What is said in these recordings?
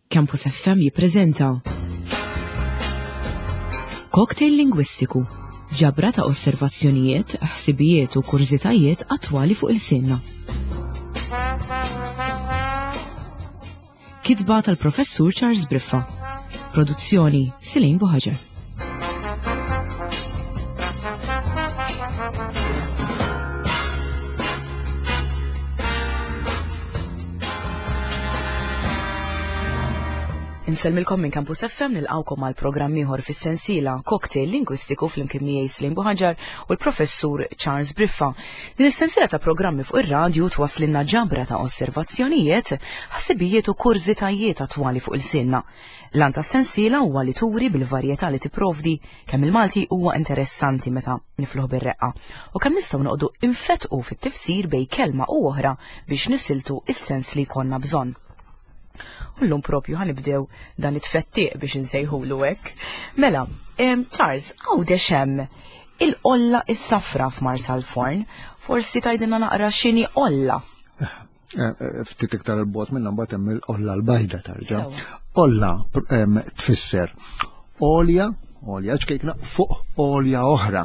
Campus FM jippreżenta Cocktail Lingwistiku, ġabra ta' osservazzjonijiet, ħsibijiet u kurżitajiet attwali fuq il-sinna. Kitba tal-Professur Charles Briffa. Produzzjoni Silin Buħaġer. Insellmilkom minn Campus FM nilqawkom għal programm ieħor fis-sensiela Cocktail Lingwistiku flimkien miegħi Slim Buħaġar u l-Professur Charles Briffa. Din is-sensiela ta' programmi fuq ir-radju twaslinna ġabra ta' osservazzjonijiet, ħsibijiet u kurżitajiet attwali fuq il-sinna. L-għan tas-sensiela huwa li turi bil-varjetà li tipprovdi kemm il-Malti huwa interessanti meta nifluh bir-reqqa u kemm nistgħu noqogħdu infettqu fit-tifsir bejn kelma u oħra biex nisiltu s-sens li jkollna bżonn. U llum propju ħanibdew dan it-tfettiq biex insejħulu hekk. Mela, Charles, Għawdex hemm il-qolla is-safra f'Marsalforn. Forsi tgħidilna naqra x'inhi qolla. Eh, eh, ftit iktar il-bot minna mbagħad hemm il-qolla l-bajda tarġa. Olla tfisser olja, olja ċkejkna fuq olja oħra.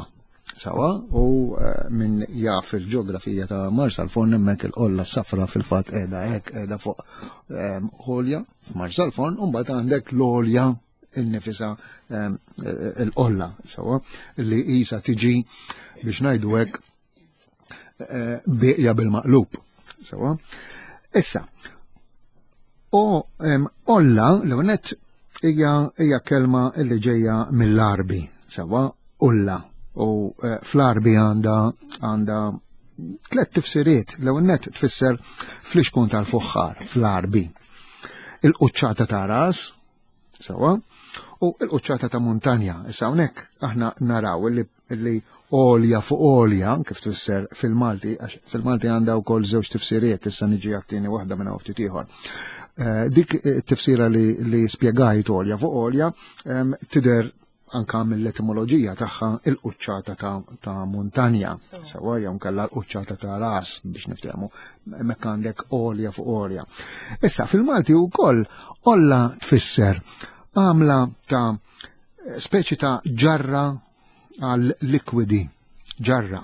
Sawa, u eh, minn jaf il-ġeografija ta' Marsa l-Forn hemmhekk il-qolla safra fil-fatt qiegħda hekk qiegħda fuq olja f'Marsa l-Forn u mbagħad għandek l-olja innifisa il-qolla, sawa, li isa tiġi biex ngħidu hekk Eh, bieqja bil-maqlub. Sewa. Issa, o olla l-għonet hija kelma li ġejja mill-arbi, sewa, ulla. U eh, fl-arbi għanda għanda tlet tifsiriet, l-għonet tfisser fl-ixkun tal-fuħħar, fl-arbi. Il-quċċata ta' ras, Sewa, u l-quċċata ta' muntanja. Issa hawnhekk aħna naraw li li għolja fuq għolja, kif tfisser fil-Malti, għax fil-Malti għandha wkoll żewġ tifsiriet, issa niġi għat-tieni waħda minn ftit ieħor. Eh, dik tifsira li, li spjegajt għolja fuq għolja tidher anka mill-etimoloġija tagħha il-quċċata ta', ta muntanja, sewa jew nkella l-quċċata ta' ras biex niftehmu, hemmhekk għandek għolja fuq għolja. Issa fil-Malti wkoll olla tfisser għamla ta' speċi ta' ġarra għal likwidi, ġarra.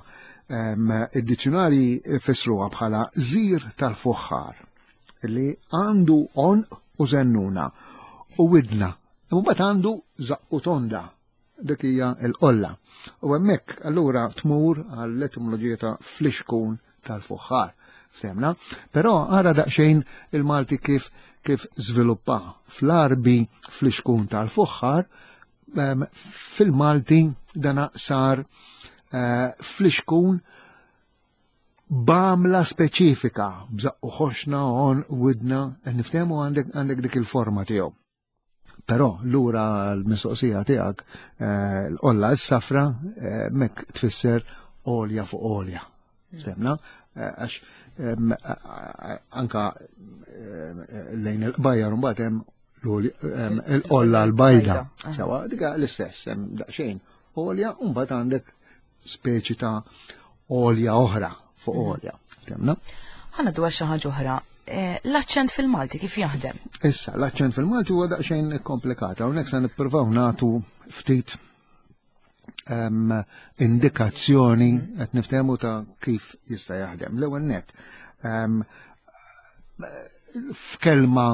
Id-dizzjonari fissruha bħala żir tal-fuħħar li għandu għonq u zennuna u widna Imbagħad għandu żaqqu tonda, dik hija l-qolla. U hemmhekk allura tmur għall-etimoloġija ta' flixkun tal-fuħħar. Ftemna? Però ara daqsxejn il-Malti kif kif żviluppa fl-arbi flixkun tal-fuħħar ehm, fil-Malti dana sar eh, flixkun b'għamla speċifika, b'żaqqu ħoxna, on, widna, niftehmu għandek għandek dik il-forma tiegħu. Però lura l-mistoqsija tiegħek eh, l-qolla s-safra eh, mek tfisser olja fuq olja. Semna, eh, għax anka lejn il-qbajjar mbagħad hemm l-qolla l-bajda. Sawa, dika l-istess, hemm daqsxejn olja u mbagħad għandek speċi ta' olja oħra fuq mm. olja. Temna? Ħana dwar xi ħaġa oħra. Eh, l-aċċent fil-Malti kif jaħdem? Issa, l-aċċent fil-Malti huwa daqsxejn komplikat. Hawnhekk se nippruvaw nagħtu ftit ehm, indikazzjoni mm. qed niftehmu ta' kif jista' jaħdem. L-ewwel net, ehm, f'kelma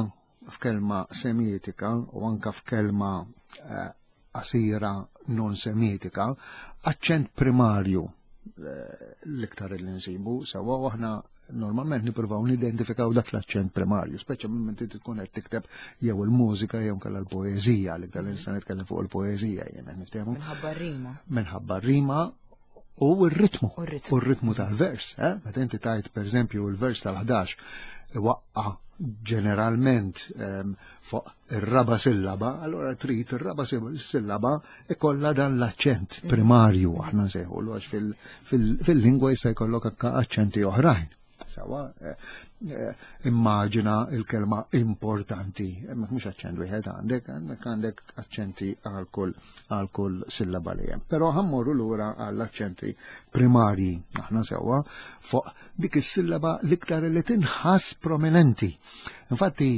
f'kelma semietika u anka f'kelma eh, qasira non semitika, aċċent primarju eh, l-iktar li nsibu sewa u aħna normalment nippruvaw nidentifikaw dak l-aċċent primarju, speċa minn inti tkun qed tikteb jew il-mużika jew kellha l-poeżija, l-iktar li nista' nitkellem fuq il-poeżija jien qed niftehmu. Minħabba rima. Minħabba rima u r-ritmu. U r-ritmu tal-vers, eh? Meta inti tajt pereżempju l-vers tal-11 waqqa ġeneralment ehm, fuq ir-raba sillaba, allora trid ir-raba sillaba ikollha dan l-aċċent mm. primarju aħna nsejħulu għax fil-lingwa jista' jkollok anke aċċenti oħrajn. Sawa, eh, eh, immaġina il-kelma importanti, hemmhekk mhux aċċent wieħed għandek, għandek għandek aċċenti għal kull għal kull sillaba li hemm. Però ħammorru lura għall aċċenti primarji aħna sewwa fuq dik is-sillaba l-iktar li tinħass prominenti. Infatti,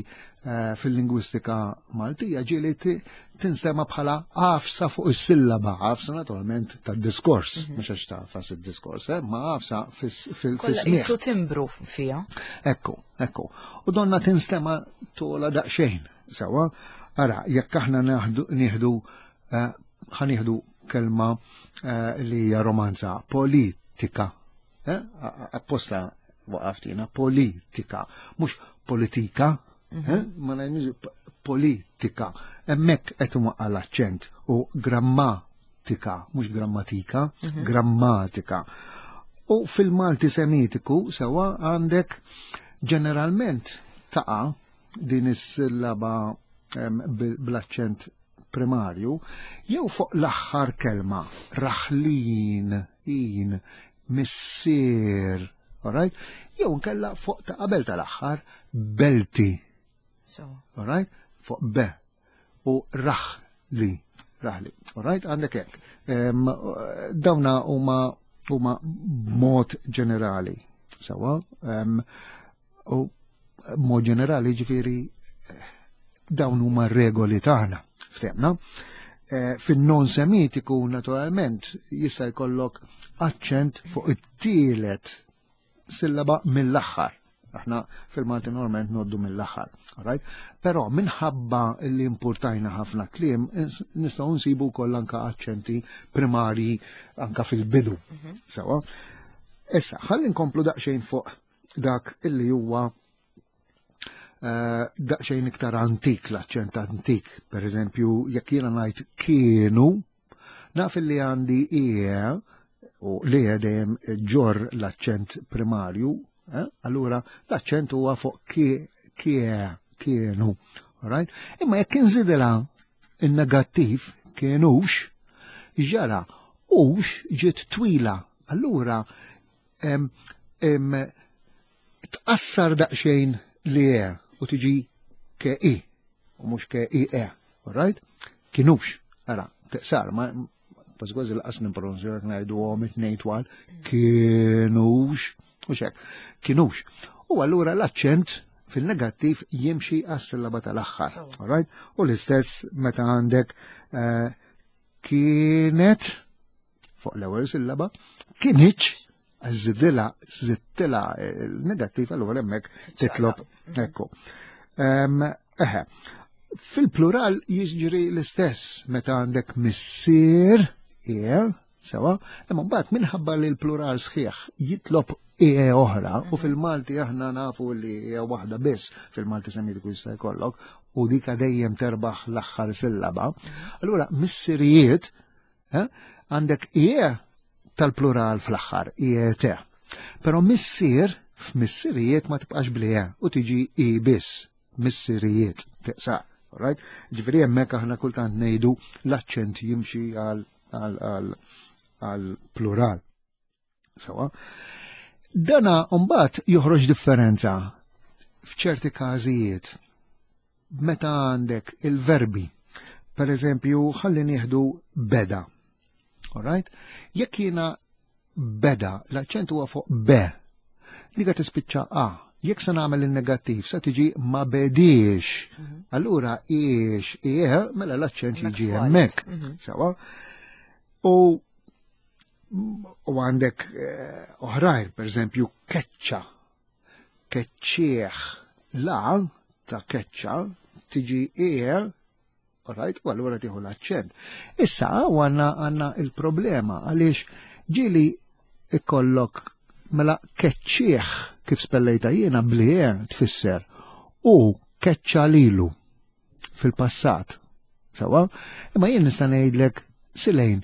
eh, fil-lingwistika Maltija ġieli tinstema bħala għafsa fuq is-sillaba, għafsa naturalment tad-diskors, mhm. mhux għax tafas id-diskors, eh, ma għafsa fil-smieħ. Isu timbru fija. Ekku, ekku. U donna tinstema tola daqsxejn, sewa. Ara, jekk aħna nieħdu eh, ħanieħdu kelma eh, li hija romanza politika. Eh, apposta waqaft jiena politika, mhux politika, mhm. eh, ma ngħidux politika. Hemmhekk qed imwaqqa' l-aċċent u grammatika, mhux grammatika, mhm. grammatika. U fil-Malti Semitiku sewa għandek ġeneralment taqa' din is-sillaba bl-aċċent primarju jew fuq l-aħħar kelma raħlin, in, missier, alright? Jew nkella fuq ta' qabel tal-aħħar belti. So. Alright? Fuq be u raħli, raħli. Alright? Għandek hekk. Dawna huma huma b'mod ġenerali. Sawa? U b'mod ġenerali ġifieri dawn huma regoli tagħna, ftemna. Eh, fin-non semitiku naturalment jista' jkollok aċċent fuq it-tielet sillaba mill-aħħar. Aħna fil-Malti normalment noddu mill-aħħar, right? Però minħabba li importajna ħafna kliem, nistgħu nsibu wkoll anka aċċenti primarji anka fil-bidu. Mhm. Sewa. Issa, ħalli nkomplu daqsxejn fuq dak illi huwa eh, daqsxejn iktar antik, l-aċċent antik. Per eżempju, jekk jiena ngħid kienu, naf li għandi ie u li dejjem ġor l-aċċent primarju, eh, allura l-aċċent huwa fuq kie, kienu. Right? Imma jekk inżidilha in-negattiv kienux, ġara ux ġiet twila. Allura tqassar daqsxejn li e u tiġi ke i u mhux ke i e, alright? Kienux, ara, teqsar, ma kważi kważi laqas nippronunzja jekk ngħidu għom it-tnejn twal, kienux, u xek, kienux. U allura l-aċċent fil-negattiv jimxi għas-sillaba tal-aħħar, alright? U l-istess meta għandek eh, kienet fuq l-ewwel sillaba, kienx żidilha żidtilha il-negattiv allura hemmhekk titlob ekku. Eħe, fil-plural jiġri l-istess meta għandek missier, ie, sewa, imma mbagħad minħabba li l-plural sħiħ jitlob ie oħra u mhm. fil-Malti aħna nafu li hija waħda biss fil-Malti semitiku jista' jkollok u dika dejjem terbaħ l-aħħar sillaba. Mhm. Allura missirijiet Eh? Għandek ie tal-plural fl-aħħar, ie te. Però missier f'missirijiet ma tibqax bli e u tiġi i biss, missirijiet, tiqsa. Right? Ġifieri hemmhekk aħna kultant ngħidu l-aċċent jimxi għal plural. Sawa. Dana mbagħad joħroġ differenza f'ċerti każijiet meta għandek il-verbi. Per eżempju, ħalli nieħdu beda. Alright? Jekk jiena beda, l-aċċent huwa fuq be. Dika tispiċċa a. Jekk se nagħmel il-negattiv se tiġi ma bediex. Mhm. Allura iex ie mela l-aċċent jiġi hemmhekk. Mhm. Sawa? U U għandek eh, oħrajn, per eżempju, keċċa. Keċċieħ. La ta' keċċa tiġi e, right, u allura tieħu l-aċċent. Issa għanna għanna il-problema għaliex ġili ikollok mela keċċieħ kif spellejta jiena bli e tfisser u keċċa lilu fil-passat. Sawa? Imma jien nista' ngħidlek silejn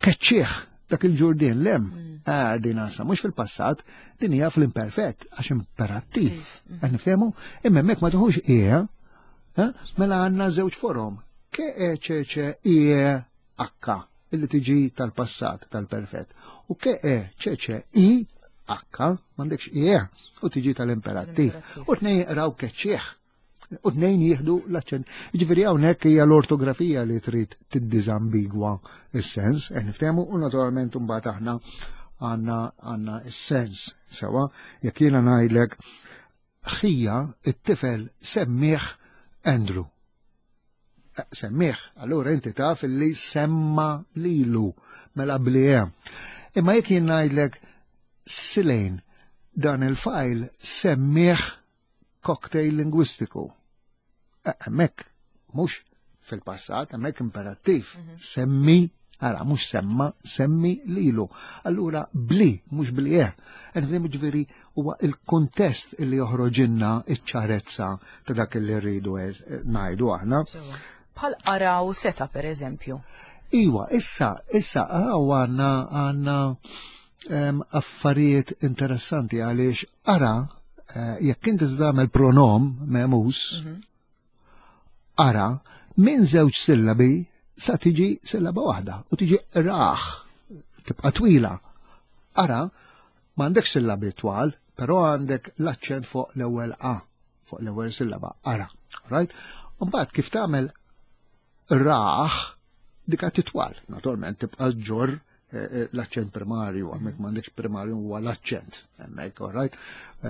keċċieħ dak il-ġurdien lem. Mm. Ah, din għasa, mhux fil-passat, din hija fl-imperfett, għax imperattiv. Mm. Qed niftehmu? Imma hemmhekk ma tuħux ie, eh? mela għandna żewġ forom. Ke e ċe ċe ie h illi tiġi tal-passat, tal-perfett. U ke e ċe ċe i h m'għandekx ie u tiġi tal-imperattiv. U tnejn jaqraw keċċieħ. U tnejn jieħdu l-aċċent. Ġifieri hawnhekk hija l-ortografija li trid tiddiżambigwa s-sens, qed niftehmu u naturalment imbagħad aħna għandna għandna s-sens sewa. Jekk jiena ngħidlek ħija it-tifel semmih Andrew. Eh, semmih, allura inti taf li semma lilu mela bli hemm. Imma jekk jien ngħidlek Silejn dan il-fajl semmih cocktail lingwistiku. Eh, hemmhekk mhux fil-passat, hemmhekk imperattiv. Mhm. Semmi, ara mhux semma, semmi lilu. Allura bli, mhux bli eh. Nifhem ġifieri huwa il-kuntest li joħroġilna iċ-ċarezza ta' dak li rridu eh, ngħidu aħna. Bħal qara u seta per eżempju. Iwa, issa, issa, għaw għanna għanna affarijiet interessanti għaliex ara eh, jekk inti tagħmel pronom memus, mhm. ara minn żewġ sillabi sa tiġi sillaba waħda u tiġi raħ tibqa' twila. Ara m'għandek sillabi twal, però għandek l-aċċent fuq l-ewwel A, fuq l-ewwel sillaba, ara. Right? Mbagħad kif tagħmel raħ dika titwal, naturalment tibqa' ġor eh, eh, l-aċċent primarju, hemmhekk m'għandekx primarju huwa l-aċċent, hemmhekk, all right?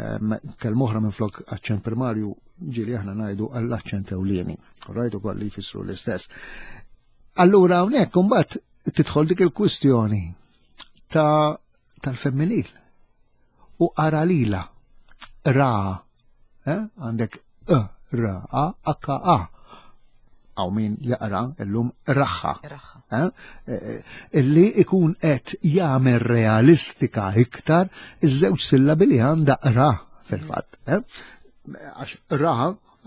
Ehm, kelma oħra minn flok aċċent primarju ġieli aħna ngħidu għall-aċċent ewlieni, all right, ukoll li jfissru l-istess. Allura hawnhekk imbagħad tidħol dik il-kwistjoni ta' tal-femminil u ara lila ra eh? għandek e r a h a għaw min jaqra illum raħħa. Eh? Eh, illi ikun qed jagħmel realistika iktar iż-żewġ sillabi li għandha ra fil-fatt. Eh? Għax ra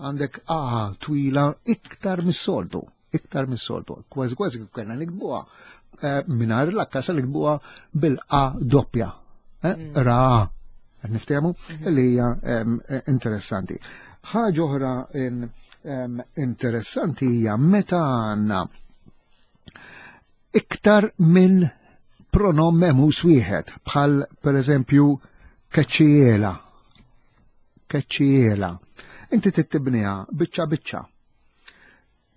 għandek a twila iktar mis-soltu iktar mis-soltu. Kważi kważi kif kellna nikbuha eh, mingħajr l-akka se nikbuha bil-a doppja. Eh, mm. Ra, niftehmu mm-hmm. li hija eh, interessanti. Ħaġa oħra interessanti hija meta għandna iktar minn pronom memus wieħed bħal per eżempju keċċiela. Keċċiela. Inti tittibniha biċċa biċċa.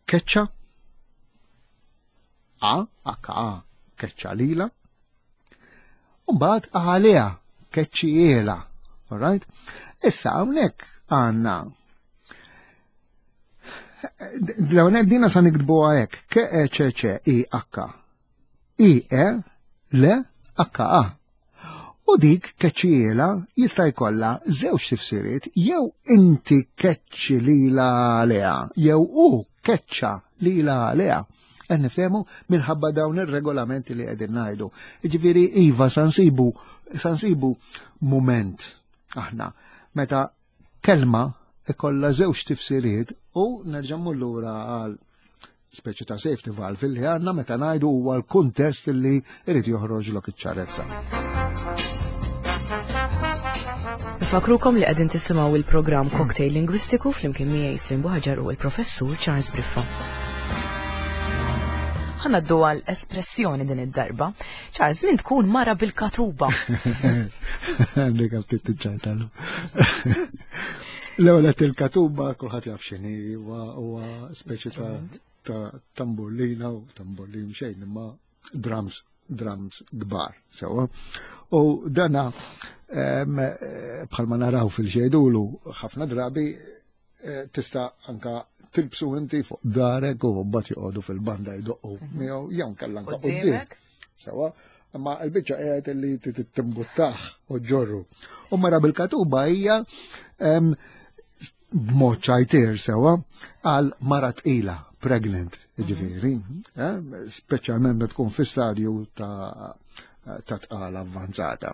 Keċċa A, H A, keċċa lila. Umbagħad għaliha keċċiela. All right? Issa hawnhekk għandna L-għonet dina sa nikdbuha hekk, K E C C I H I E L H A. U dik keċċiela jista' jkollha żewġ tifsiriet jew inti keċċi lila għaliha jew hu keċċa lila għaliha. Qed nifhemu minħabba dawn ir-regolamenti li qegħdin ngħidu. Jiġifieri iva sa nsibu sa nsibu mument aħna meta kelma ikollha żewġ tifsiriet u nerġa' mmur lura għal speċi ta' safety valve li għandna meta ngħidu huwa l-kuntest li jrid joħroġlok iċ-ċarezza. Nfakrukom li qegħdin tisimgħu il-programm Cocktail Lingwistiku flimkien miegħi Slim Buħaġar u l-Professur Charles Briffa. Ħanaddu għal espressjoni din id-darba. Charles, min tkun mara bil-katuba? Għandek għaftit ċajtalu. L-ewwel qed il-katuba kulħadd jaf x'inhi huwa speċi ta' tamburlina u tamburlin xejn imma drums drums kbar sewwa. U dana bħalma naraw fil-ġejdulu ħafna drabi eh, tista' anka tilbsu inti fuq darek u mbagħad joqogħdu fil-banda jdoqqu mhm. miegħu jew kellha anka quddiem. Sewa, imma l-biċċa qiegħed li timbuttaħ u ġorru. U mara bil-katuba hija b'mod ċajtir sewa għal mara tqila, pregnant, mhm. ġifieri, eh, speċjalment meta tkun fi stadju ta' ta' tqala avvanzata.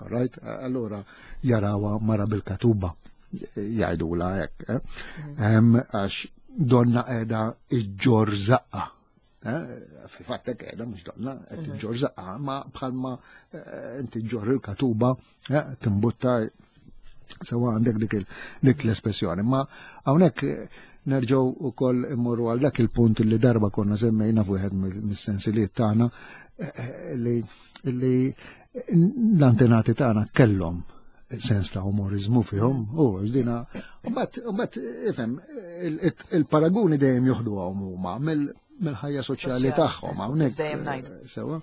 Right? Allura jarawa mara bil-katuba jgħidula hekk. Eh? Mhm. Għax donna qiegħda iġġor zaqqa. Eh? Fil-fatt hekk qiegħda mhux donna qed mhm. iġġor zaqqa, ma bħalma eh, inti ġġor il-katuba timbutta sewa għandek dik l-espressjoni. Ma hawnhekk nerġgħu ukoll immorru għal dak il-punt li darba konna semmejna f'wieħed mis-sensiliet tagħna li li l-antenati tagħna kellhom sens ta' umorizmu fihom, u dina, u bat, ifhem, il-paraguni dejjem joħdu għom huma mill-ħajja soċjali tagħhom hawnhekk. Dejjem ngħid. Eh, sewa.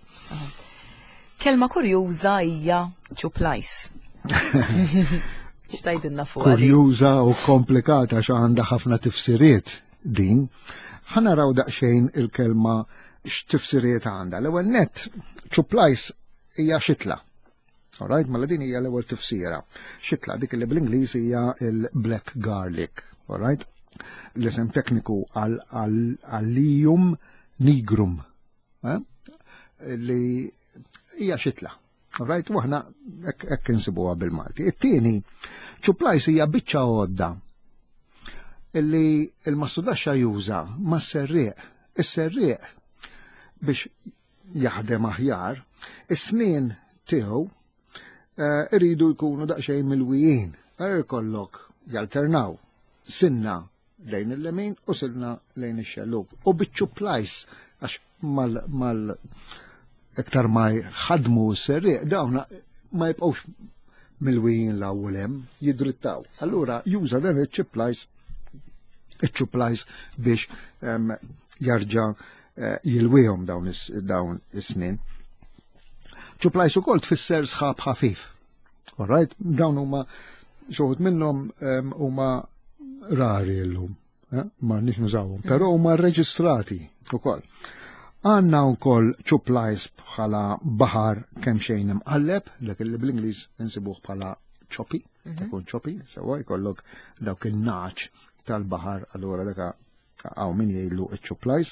Kelma kurjuża hija ċuplajs. X'tgħidilna fuq? Kurjuża u komplikata xa għandha ħafna tifsiriet din. Ħa naraw daqsxejn il-kelma x'tifsiriet għandha. L-ewwel nett, ċuplajs hija xitla. Alright, mela din hija l-ewwel tifsira. Xitla dik li bl-Ingliż hija il-black garlic. Alright? L-isem tekniku għal-allium nigrum. Eh? Li hija xitla. Alright, u aħna hekk insibuha bil-Malti. It-tieni, ċuplajs hija biċċa għodda illi il-mastudaxxa juża mas-serrieq. Is-serrieq biex jaħdem aħjar, is-snien tiegħu eh, iridu jkunu daqsxejn milwijin. Għar ikollok jalternaw sinna lejn il-lemin u silna lejn ix-xellug. U biċ-ċuplajs għax mal, mal iktar ma jħadmu s-serrieq dawn ma jibqgħux milwijin l-ewwel hemm jidrittaw. Allura juża dan iċ-ċuplajs iċ-ċuplajs biex jarġa' eh, jilwihom dawn is-snin. Ċuplajs ukoll tfisser sħab ħafif. Alright, dawn huma xoħut minnhom huma rari llum, eh, ma nix nużawhom, però huma rreġistrati ukoll. Għanna wkoll ċuplajs bħala baħar kemm xejn imqalleb, dak li bl-Ingliż insibuh bħala ċopi, mhm. ikun ċopi, sewa jkollok dawk il-naċ tal-baħar, allura daka Hawn min jgħidlu iċ-ċuplajs.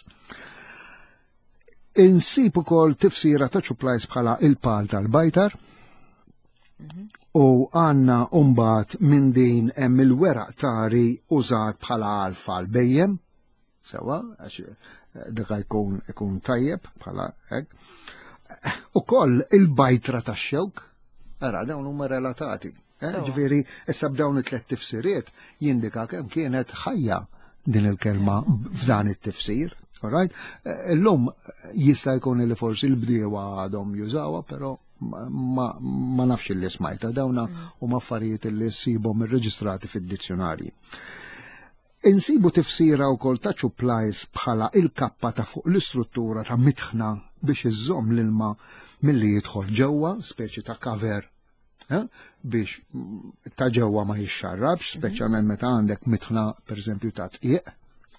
Insib ukoll tifsira ta' ċuplajs bħala il-pal tal-bajtar. Mhm. U għanna umbat minn din hemm il-weraq tari użat bħala alfa l-bejjem. Sewa, għax eh, dak jkun ikun tajjeb bħala hekk. Ukoll il-bajtra tax-xewk, ara dawn huma relatati. Eh, ġifieri, issa b'dawn it-tlet tifsiriet jindika kemm kienet ħajja din il-kelma f'dan it-tifsir. Alright? Eh, illum jista' jkun li forsi l-bdiewa għadhom jużawha, però ma, ma nafx li smajta dawna mm. huma affarijiet li ssibhom irreġistrati fid-dizzjonarji. Insibu tifsira wkoll ta' ċuplajs bħala il-kappa ta' fuq l-istruttura ta' mitħna biex iżżomm l-ilma milli jidħol ġewwa, speċi ta' cover Eh? biex ta' ġewwa ma jixxarrabx, mhm. speċjalment meta għandek mitħna pereżempju ta' tqiq,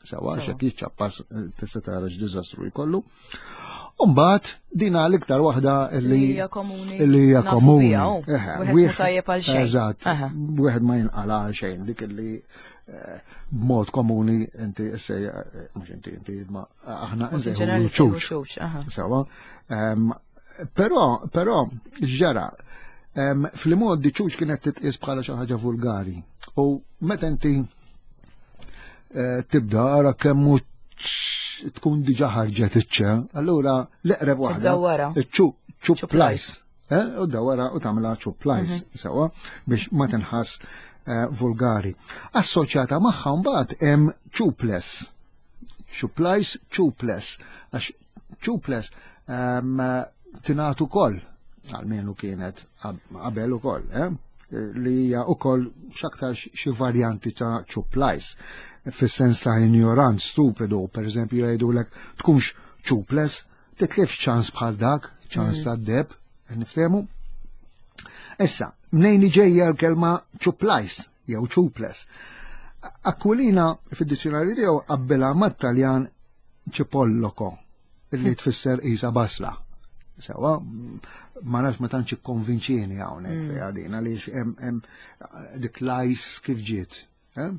sewa xek jiċċappas eh, tista' tara x'diżastru jkollu. Umbagħad dina l-iktar waħda li hija komuni. Li hija komuni. Wieħed tajjeb għal xejn. Eżatt. Wieħed ma jinqala għal xejn dik li eh, b'mod komuni inti issej mhux inti inti ma aħna nsejħu ċuċ. Sewa. Ehm, Però, però, ġara, fl-modi ċuċ kienet titqis bħala xi ħaġa vulgari. U meta inti eh, tibda ara kemm tkun diġa ħarġet iċ-ċe, allura l-eqreb waħda. Ċu, ċu plajs. Eh, u dawara u tagħmilha ċu plajs mhm. sewa biex ma tinħass eh, vulgari. Assoċjata magħha mbagħad hemm ċuples. Ċuplajs, ċuples. Għax ċuples ehm, tingħat ukoll, għalmenu kienet qabel ukoll, eh? li hija ukoll x'aktar xi varjanti ta' ċuplajs fis-sens ta' ignorant, stupidu, per eżempju jgħidulek tkunx ċuples, titlifx ċans bħal dak, ċans mm. ta' deb, niftehmu. Issa, mnejn ġejja l-kelma ċuplajs jew ċuples. Aquilina fid-dizzjonarju tiegħu qabbilha mat-Taljan ċipolloko li tfisser isa basla. Sewa, ma nafx ma tantx ikkonvinċieni hawnhekk mm. għadin għaliex hemm dik lajs kif ġiet. Eh?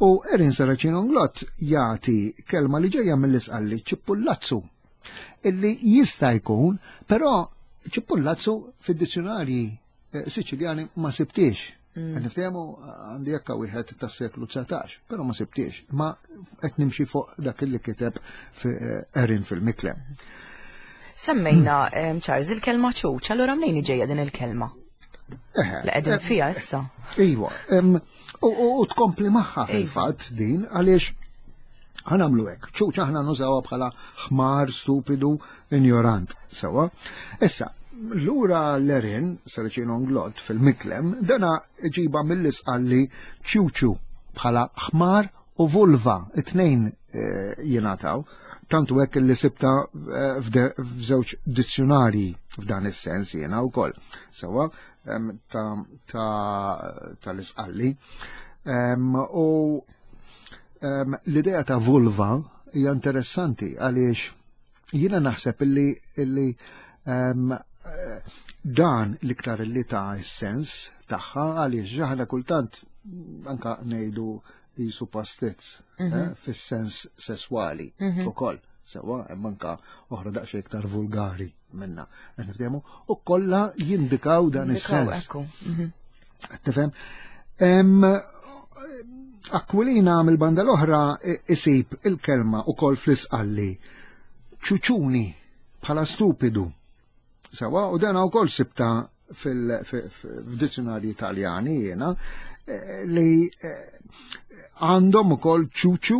U Erin Saracino Nglott jagħti kelma li ġejja mill-isqalli ċippullazzu illi jista' jkun, però ċippullazzu fid-dizzjonarji eh, Siċiljani ma sibtiex. Mm. Niftehmu għandi jekka wieħed tas-seklu 19, però ma sibtiex. Ma qed nimxi fuq dak li kiteb eh, Erin fil-Miklem. Semmejna mm. Charles il-kelma ċuċ, allura mnejn ġejja din il-kelma? Li qegħdin fiha issa. Iva, u tkompli magħha fil-fatt din għaliex ħanamlu hekk. Ċuċ aħna nużawha bħala ħmar, stupidu, injorant. Sewa. Issa, lura l-erin, Saracino Onglot fil-Miklem, dana ġiba mill-isqalli ċuċu bħala ħmar u vulva, it-tnejn eh, jingħataw. Tantu hekk li sibta eh, f'żewġ dizzjonarji f'dan is-sens jiena wkoll. Sewa tal-isqalli. U l-idea ta' vulva hija interessanti għaliex jiena naħseb illi illi dan l-iktar li ta' sens tagħha għaliex aħna kultant anka ngħidu jisu pastizz eh, fis-sens sesswali ukoll. Sewa, hemm anka oħra daqsxejn iktar vulgari minna. Qed niftehmu u kollha jindikaw dan is-sens. Tifhem? Aquilina mill-banda l-oħra isib il-kelma ukoll fl-isqalli ċuċuni bħala stupidu. Sewa, u dan ukoll sibta fil-dizzjonarji Italjani jiena eh, li eh, għandhom ukoll ċuċu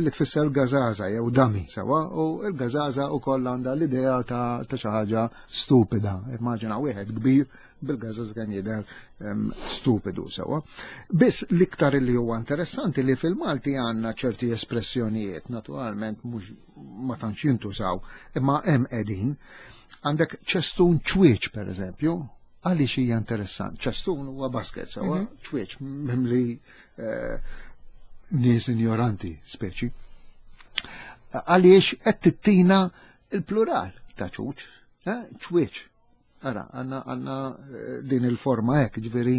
li tfisser gazaza jew dami sewa u l-gazaza ukoll għandha l-idea ta' xi ħaġa stupida. Immaġina wieħed kbir bil-gazaza kemm jidher stupidu sewa. Biss l-iktar li huwa interessanti li fil-Malti għandna ċerti espressjonijiet, naturalment mhux ma tantx jintużaw, imma hemm qegħdin. Għandek ċestun ċwieċ per eżempju, għaliex hija interessant. ċestun huwa basket sewa, ċwieċ mimli eh, nies ignoranti speċi. Għaliex qed tittina il-plural ta' ċuċ, eh, ċwieċ. Ara, għanna għanna eh, din il-forma hekk, ġifieri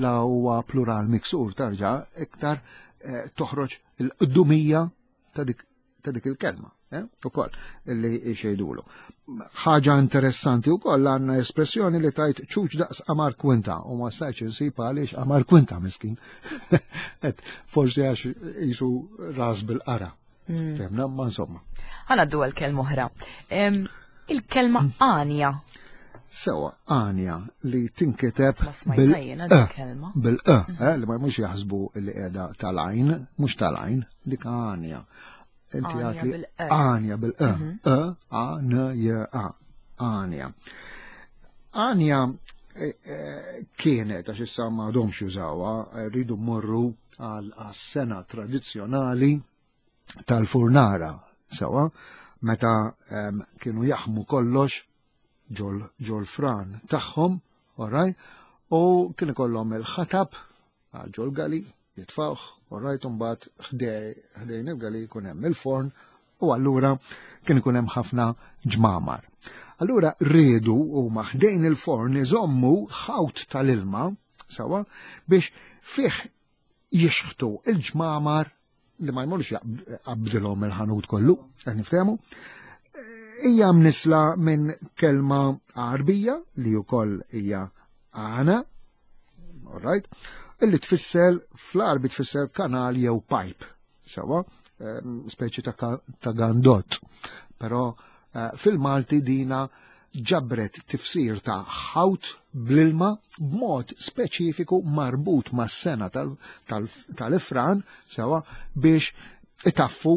la huwa plural miksur tarġa' iktar eh, toħroġ il-qdumija ta' dik ta' dik il-kelma, eh, ukoll li xejdulu. Ħaġa interessanti wkoll għandna espressjoni li tajt ċuċ daqs qamar kwinta u ma stajtx insib għaliex qamar kwinta miskin. Et forsi għax jisu ras bil-qara. Fehmna, ma insomma. Ħanaddu għal kelma oħra. Il-kelma għanja. Sewa, għanja li tinkiteb Ma smajtha jiena dik kelma. bil-e, eh, li ma mhux jaħsbu li qiegħda tal-għajn, mhux tal-għajn, dik għanja. Inti Għanja għatli bil-e. għanja bil-e, e, a, n, j, a, għanja. Għanja eh, eh, kienet, għax issa ma għadhomx jużawha, eh, rridu mmorru għal sena tradizzjonali tal-furnara, sewa, meta kienu jaħmu kollox ġol, ġol fran tagħhom, alright, u kien ikollhom il-ħatab għal ġol gali, jitfawh, alright, u mbagħad ħdejn il-gali jkun hemm il-forn, u allura kien ikun hemm ħafna ġmamar. Allura riedu huma ħdejn il-forn iżommu ħawt tal-ilma, sewa, biex fih jixħtu il-ġmamar li ma jmorx jaqbdilhom il-ħanut kollu, qed niftehmu. Hija mnisla minn kelma Għarbija li wkoll hija għana, all right, illi tfisser fl-Għarbi tfisser kanal jew pipe, sewa, speċi ta' gandott. Però eh, fil-Malti dina ġabret tifsir ta' ħawt bl-ilma b'mod speċifiku marbut mas-sena tal-ifran sewa biex itaffu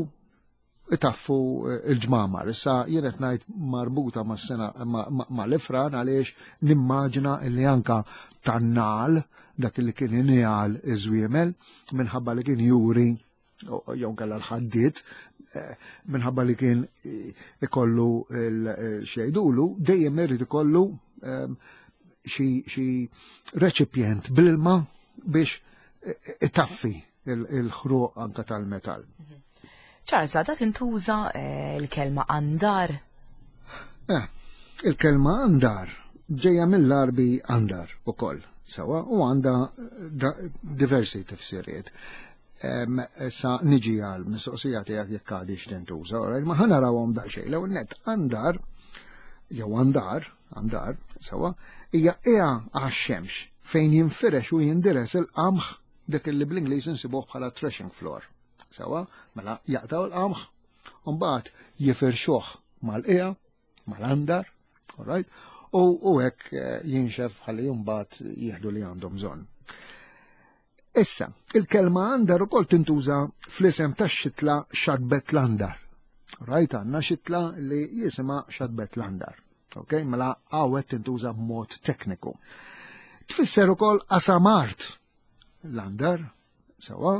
itaffu eh, il-ġmamar. Issa jien qed ngħid marbuta mas-sena mal-ifran għaliex nimmaġina li anka tan-nal dak li kien injal iż-żwiemel minħabba li kien juri jew kellha l-ħaddiet eh, minħabba li kien eh, ikollu xejdulu, dejjem irid ikollu ehm, xi reċipjent bl-ilma biex eh, itaffi il-ħruq anka tal-metall. Charles, għadha tintuża l-kelma andar? Il-kelma andar ġejja mill-Arbi andar ukoll, sewa, u għandha diversi tifsiriet. Sa niġi għal mistoqsija tiegħek jekk għadix tintuża, alright, ma ħa narawhom daqsxejn. L-ewwel nett andar jew andar, andar, sewa, hija qiegħa għax-xemx fejn jinfirex u jindires il-qamħ dak li bl-Ingliż insibuh bħala threshing floor. Sewa, mela jaqtaw il-qamħ, u mbagħad jifirxuh mal-qiegħa, mal-andar, alright, u hekk eh, jinxef ħalli mbagħad jieħdu li għandhom bżonn. Issa, il-kelma andar ukoll tintuża fl-isem tax-xitla xadbet l-andar. Rajt għandna xitla li jisimha xadbet l-andar. Ok, mela għawet tintuża b'mod tekniku. Tfisser ukoll qasam art l-andar, sewa,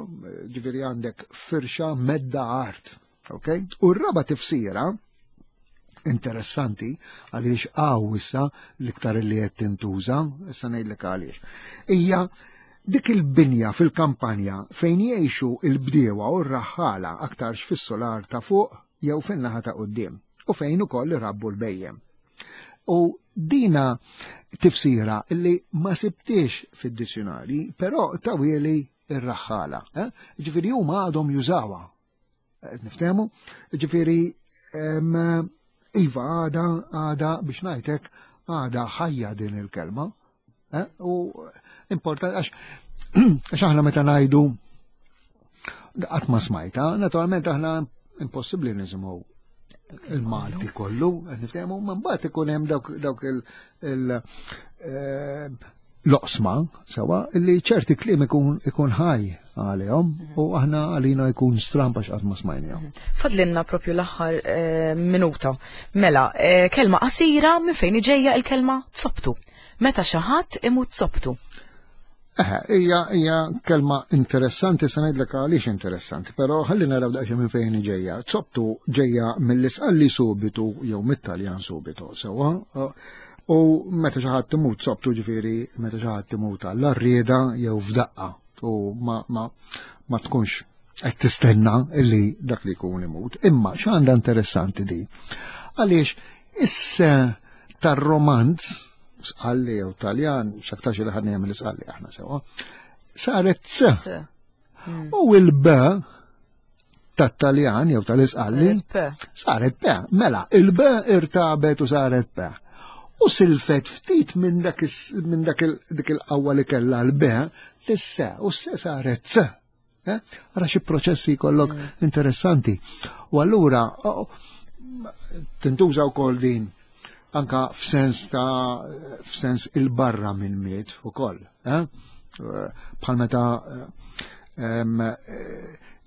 ġifieri għandek firxa medda art. Ok? U r-raba tifsira interessanti għaliex għaw issa l-iktar li qed tintuża, issa ngħidlek għaliex. Hija dik il-binja fil-kampanja fejn jgħixu il-bdiewa u r-raħħala aktarx fis-solar ta' fuq jew fin-naħa ta' quddiem u fejn ukoll irabbu l-bejjem. U dina tifsira li ma sibtiex fid-dizzjonari, però tawieli ir-raħħala. Eh? Ġifieri huma għadhom jużawha. Qed niftehmu? Ġifieri iva għada għada biex ngħidlek għada ħajja din il-kelma. Eh? U importanti għax għax aħna meta ngħidu qatt ma smajta, naturalment aħna impossibbli nisimgħu il-Malti kollu, niftehmu, ma mbagħad ikun hemm dawk il eh, l-oqsma sewa li ċerti kliem ikun ikun ħaj għalihom u aħna għalina jkun stramp għax qatt ma smajnihom. Mhm. Fadlinna propju l-aħħar eh, minuta. Mela, eh, kelma qasira minn fejn iġejja il-kelma zoptu. Meta xi ħadd imut zoptu. Eh, hija hija kelma interessanti se ngħidlek għaliex interessanti, però ħalli naraw daqsxejn minn fejn ġejja. Zoptu ġejja mill-isqalli subitu jew mit-Taljan subitu, sewwa. U meta xi ħadd imut sobtu ġifieri meta xi ħadd imut għall-arrieda jew f'daqqa u ma, ma, ma tkunx qed tistenna illi dak li jkun imut. Imma x'għandha interessanti di? Għaliex issa tar-romanz sqalli jew Taljan, x'aktarx li ħadni jagħmel isqalli aħna sewa, saret C. Hmm. U il-B tat-Taljan jew tal-Isqalli saret P. Mela, il-B irtabet u saret P. U silfet ftit minn dak dik il-qawwa li kellha l-B l-S u s saret C. Eh? Ara xi proċessi jkollok mm. interessanti. U allura tintuża wkoll din anka f'sens ta' f'sens il-barra minn miet ukoll. Eh? Bħal meta eh,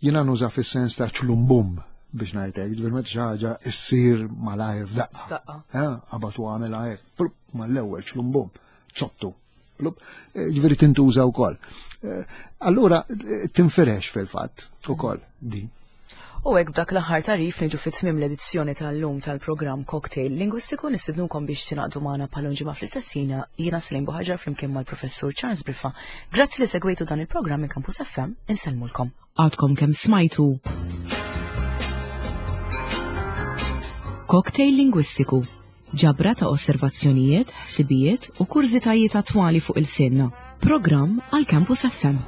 jiena nuża fis-sens ta' ċlumbum biex ngħidlek, ġifier meta xi ħaġa issir malajr f'daqqa. Qabad u għamel hekk, mal-ewwel ċlumbum, zottu. Eh, ġifieri tintuża wkoll. Eh, allura eh, tinfirex fil-fatt ukoll din. U hekk b'dak l-aħħar tarif niġu fi tmiem l-edizzjoni tal-lum tal-programm Cocktail Lingwistiku nistidnukom biex tingħaqdu magħna bħal ġimgħa fl-istess ħin jiena Slim Buħaġar flimkien mal-Professur Charles Briffa. Grazzi li segwejtu dan il-programm minn Campus FM, insellmulkom. Għadkom kemm smajtu Cocktail Lingwistiku Ġabra ta' osservazzjonijiet, ħsibijiet u kurżitajiet attwali fuq il-sinna. Programm għal Campus FM.